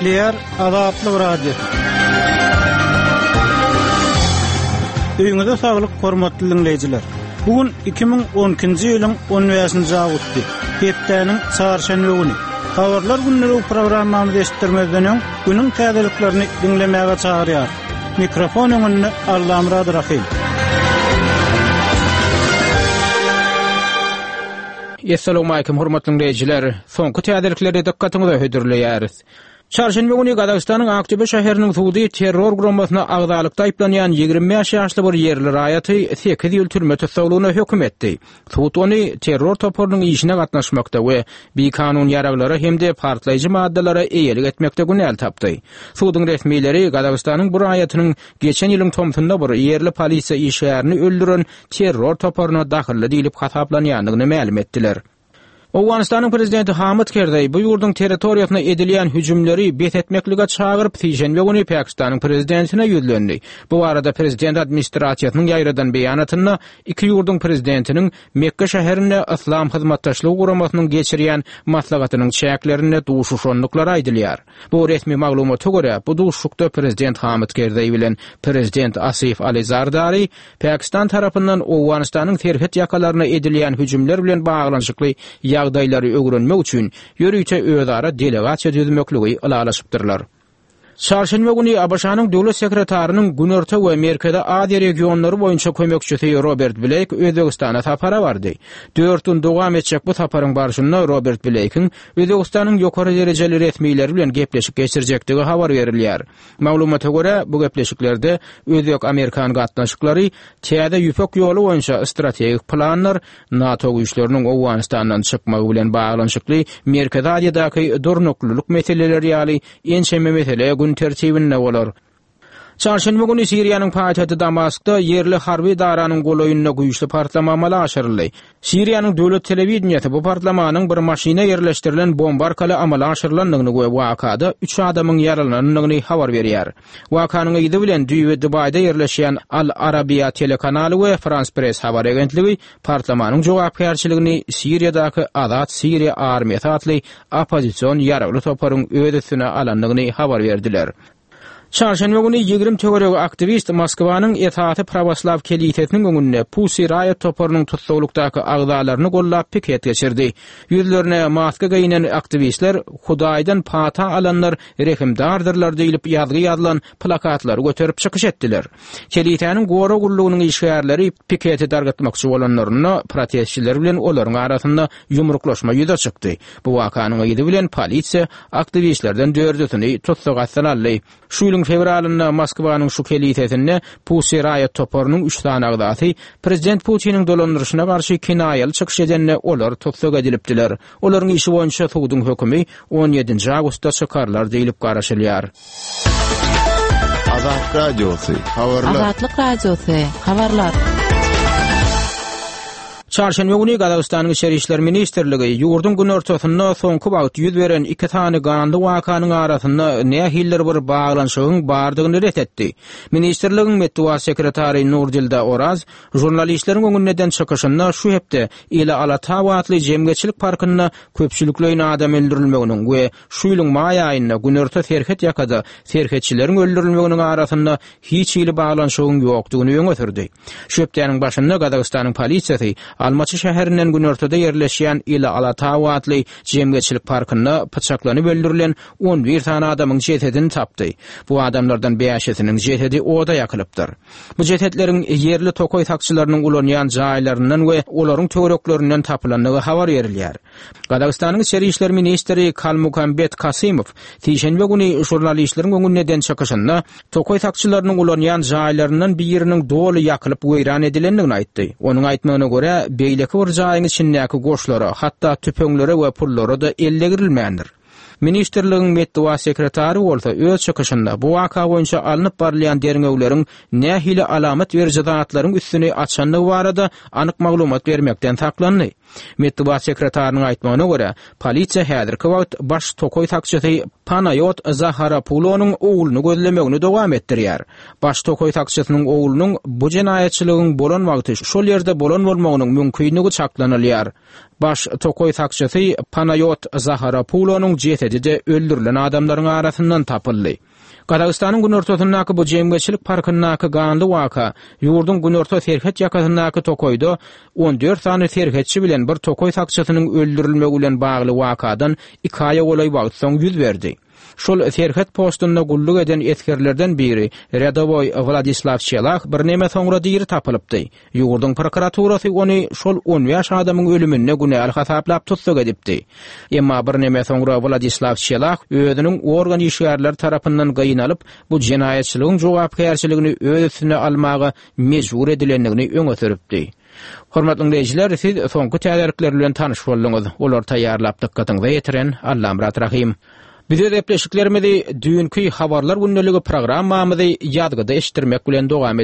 Gepleýär Azatlyk Radiosy. Öýüňize saglyk, hormatly diňleýjiler! Bu gün 2012-nji ýylyň 15-nji awgusty, hepdäniň çarşenbe güni. Habarlar gündeligi programmamyzy eşitdirmezden öň, günüň täzeliklerini diňlemäge çagyrýarys. Mikrofon öňünde Allamyrat Rahym. Essalawmalikim hormatly diňleýjiler! Soňky täzelikleri dykgatyňyza hödürleýäris. Çarşenbe güni Gazagystanyň Aktöbe şäheriniň sudy terror guramasyna agzalykda aýyplanýan 25 ýaşly bir ýerli raýaty sekiz ýyl türme tussaglygyna höküm etdi. Sud ony terror toparynyň işine gatnaşmakda we bikanun ýaraglara hem-de partlaýjy maddalara eýelik etmekde günäli tapdy. Suduň resmileri Gazagystanyň bu raýatynyň geçen ýylyň tomsunda bir ýerli polisiýa işgärini öldüren terror toparyna dahylly diýlip hasaplanýandygyny mälim etdiler. Owganystanyň prezidenti Hamid Kerzeý bu ýurduň territoriýasyna edilýän hüjümleri bes etmeklige çagyryp, sişenbe güni Pakistanyň prezidentine ýüzlendi. Bu barada prezident administrasiýasynyň ýaýradan beýanatynda iki ýurduň prezidentiniň Mekge şäherinde Yslam Hyzmatdaşlygy Guramasynyň geçirýän maslahatynyň çäklerinde duşuşandyklary aýdylýar. Bu resmi maglumata görä, bu duşuşykda prezident Hamid Kerzeý bilen prezident Asif Ali Zardari Pakistan tarapyndan Owganystanyň serhet ýakalaryna edilýän hüjümler bilen baglanyşykly ýagdaýlary öwrenmek üçin ýörite özara delegasiýa düzmekligi ylalaşypdyrlar. Çarşenbe güni ABŞ-nyň Döwlet sekretarynyň Günorta we Merkezi Aziýa regionlary boýunça kömekçisi Robert Bleýk Özbegistana sapara bardy. Dört gün dowam etjek bu saparyň barşynda Robert Bleýkiň Özbegistanyň ýokary derejeli resmileri bilen gepleşik geçirjekdigi habar berilýär. Maglumata görä, bu gepleşiklerde özbek-amerikan gatnaşyklary, Täze Ýüpek ýoly boýunça strategik planlar, NATO güýçleriniň Owganystandan çykmagy bilen baglanyşykly Merkezi Aziýadaky durnuklylyk meseleleri ýaly ençeme mesele gün tertibinde bolar. Çarşenbe güni Siriýanyň paýtagty Damaskda ýerli harby edaranyň golaýynda güýçli partlama amala aşyryldy. Siriýanyň döwlet telewideniýesi bu partlamanyň bir maşyna ýerleşdirilen bomba arkaly amala aşyrylandygyny we wakada üç adamyň ýaralanandygyny habar berýär. Wakanyň yzy bilen düýbi Dubaýda ýerleşýän Al Arabiýa telekanaly we Frans Press habar agentligi partlamanyň jogapkärçiligini Siriýadaky Azat Siriýa armiýasy atly oppozision ýaragly toparyň öz üstüne alandygyny habar berdiler. Çarşenbe güni 20 töweregi aktiwist Moskwanyň esasy prawoslaw kelisesiniň öňünde Pussy Riot toparynyň tussaglykdaky agzalaryny gollap piket geçirdi. Ýüzlerine maska geýnen aktiwistler Hudaýdan pata alanlar rehimdardyrlar diýlip ýazgy ýazylan plakatlary göterip çykyş etdiler. Kelisäniň gorag gullugynyň işgärleri piketi dargatmakçy bolanlarynda protestçiler bilen olaryň arasynda ýumruklaşma ýüze çykdy. Bu wakanyň yzy bilen polisiýa aktiwistlerden dördüsini tussag astyna aldy. Şu ýylyň fewralynda Moskwanyň şu kelisesinde Pussy Riot toparynyň üç sany agzasy prezident Putiniň dolandyryşyna garşy kinaýaly çykyş edende olar tussag edilipdiler. Olaryň işi boýunça suduň hökümi on ýedinji awgustda çykarylar diýlip garaşylýar. Azat Radiosy, habarlar. Azatlyk Radiosy, habarlar. Çarşenbe güni Gazagystanyň Içeri işler ministrligi ýurduň günortasynda soňky wagt ýüz beren iki sany ganly wakanyň arasynda nähilidir bir baglanyşygyň bardygyny ret etdi. Ministrligiň metbugat sekretary Nurdilda Oraz žurnalistleriň öňünde eden çykyşynda şu hepde Ile-Alatau atly jemgyýetçilik parkynda köpçülikleýin adam öldürilmeginiň we şu ýylyň maý aýynda günorta serhet ýakada serhetçileriň öldürilmeginiň arasynda hiç hili baglanyşygyň ýokdugyny öňe sürdi. Şu hepdäniň başynda Gazagystanyň polisiýasy Almaty şäherinden günortada ýerleşýän Ile-Alatau atly jemgyýetçilik parkynda pyçaklanyp öldürilen 11 sany adamyň jesedini tapdy. Bu adamlardan bäşisiniň jesedi oda ýakylypdyr. Bu jesetleriň ýerli tokaý sakçylarynyň ulanýan jaýlaryndan we olaryň töwereklerinden tapylandygy habar berilýär. Gazagystanyň içeri işler ministri Kalmukambet Kasymow sişenbe güni žurnalistleriň öňünde eden çykyşynda tokaý sakçylarynyň ulanýan jaýlaryndan biriniň doly ýakylyp weýran edilendigini aýtdy. Onuň aýtmagyna görä, beýleki bir jaýyň içindäki goşlara, hatda tüpeňlere we pullara-da el degrilmändir. Ministrligiň metbugat sekretary bolsa öz çykyşynda bu waka boýunça alnyp barylýan derňewleriň nähili alamat beriji zatlaryň üstüni açandygy barada anyk maglumat bermekden saklandy. Metbugat sekretarynyň aýtmagyna görä, polisiýa häzirki wagt baş tokaý sakçysy Panaýot Zaharapulonyň ogluny gözlemegini dowam etdirýär. Baş tokaý sakçysynyň oglunyň bu jenaýatçylygyň bolan wagty şol ýerde bolan bolmagynyň mümkinligi çaklanylýar. Baş tokaý sakçysy Panaýot Zaharapulonyň jesedi-de öldürilen adamlaryň arasyndan tapyldy. Gazagystanyň günortasyndaky bu jemgyýetçilik parkyndaky ganly waka ýurduň günorta serhet ýakasyndaky tokaýda 14 sany serhetçi bilen bir tokaý sakçysynyň öldürilmegi bilen bagly wakadan iki aýa golaý wagt soň ýüz berdi. Şol serhet postunda gulluk eden esgerlerden biri, rýadowoý Wladislaw Çelah birneme soňra diri tapylypdy. Ýurduň prokuraturasy ony şol 15 adamyň ölüminde günäli hasaplap tussag edipdi. Emma birneme soňra Wladislaw Çelah özüniň organ işgärleri tarapyndan gynalyp, bu jenaýatçylygyň jogapkärçiligini öz üstüne almaga mejbur edilendigini öňe sürüpdi. Hormatly diňleýjiler, siz soňky täzelikler bilen tanyş bolduňyz. Olary taýýarlap dykgatyňyza ýetiren Allamyrat Rahym. Biz öz gepleşiklerimizi düýnki Habarlar gündeligi programmamyzy ýazgyda eşitdirmek bilen dowam.